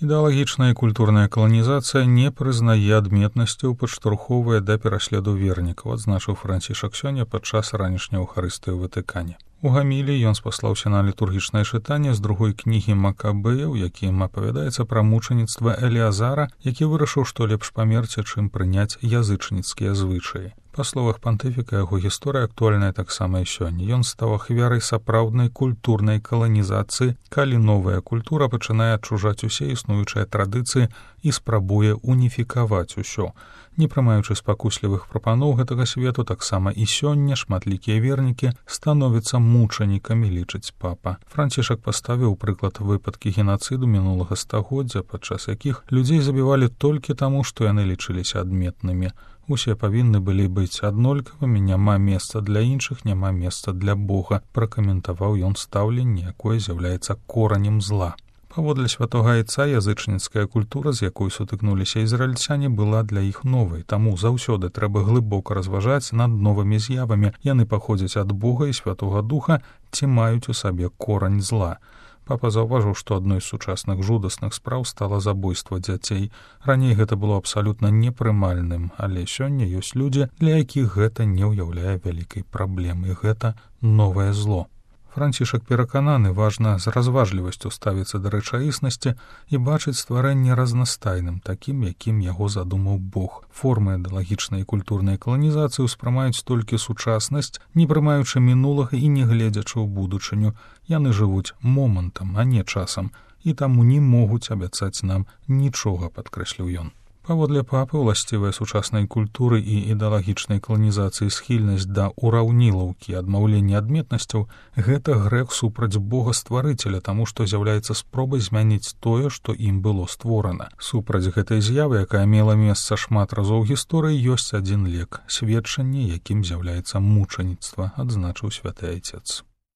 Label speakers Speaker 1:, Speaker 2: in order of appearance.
Speaker 1: Ідэалагічная і культурная каланізацыя не прызнае адметнасцяў, падштурхоўвае да пераследу вернікаў, адзначыў Францішак сёння падчас ранішняй Еўхарыстыі ў Ватыкане. У гамілі ён спаслаўся на літургічнае чытанне з другой кнігі Макабеяў, якім апавядаецца пра мучаніцтва Эліазара, які вырашыў, што лепш памерці, чым прыняць язычніцкія звычаі. Па словах пантыфіка, яго гісторыя актуальная таксама і сёння. Ён стаў ахвярай сапраўднай культурнай каланізацыі, калі новая культура пачынае адчужаць усе існуючыя традыцыі і спрабуе уніфікаваць усё. Не прымаючы спакуслівых прапаноў гэтага свету, таксама і сёння шматлікія вернікі становяцца мучанікамі, лічыць папа. Францішак паставіў прыклад выпадкі генацыду мінулага стагоддзя, падчас якіх людзей забівалі толькі таму, што яны лічыліся адметнымі. Усе павінны былі быць аднолькавымі, няма месца для іншых, няма месца для Бога, пракаментаваў ён стаўленне, якое з'яўляецца коранем зла. Паводле святога Айца, язычніцкая культура, з якой сутыкнуліся ізраільцяне, была для іх новай, таму заўсёды трэба глыбока разважаць над новымі з'явамі. Яны паходзяць ад Бога і Святога Духа ці маюць у сабе корань зла. Папа заўважыў, што адной з сучасных жудасных спраў стала забойства дзяцей. Раней гэта было абсалютна непрымальным, але сёння ёсць людзі, для якіх гэта не ўяўляе вялікай праблемы. Гэта новае зло. Францішак перакананы, важна з разважлівасцю ставіцца да рэчаіснасці і бачыць стварэнне разнастайным, такім, якім яго задумаў Бог. Формы ідэалагічнай і культурнай каланізацыі ўспрымаюць толькі сучаснасць, не прымаючы мінулага і не гледзячы ў будучыню. Яны жывуць момантам, а не часам, і таму не могуць абяцаць нам нічога, падкрэсліў ён. Паводле папы, уласцівая сучаснай культуры і ідэалагічнай каланізацыі схільнасць да ураўнілаўкі, адмаўлення адметнасцяў — гэта грэх супраць Бога-стварыцеля, таму што з'яўляецца спробай змяніць тое, што ім было створана. Супраць гэтай з'явы, якая мела месца шмат разоў гісторыі, ёсць адзін лек — сведчанне, якім з'яўляецца мучаніцтва, адзначыў святы Айцец.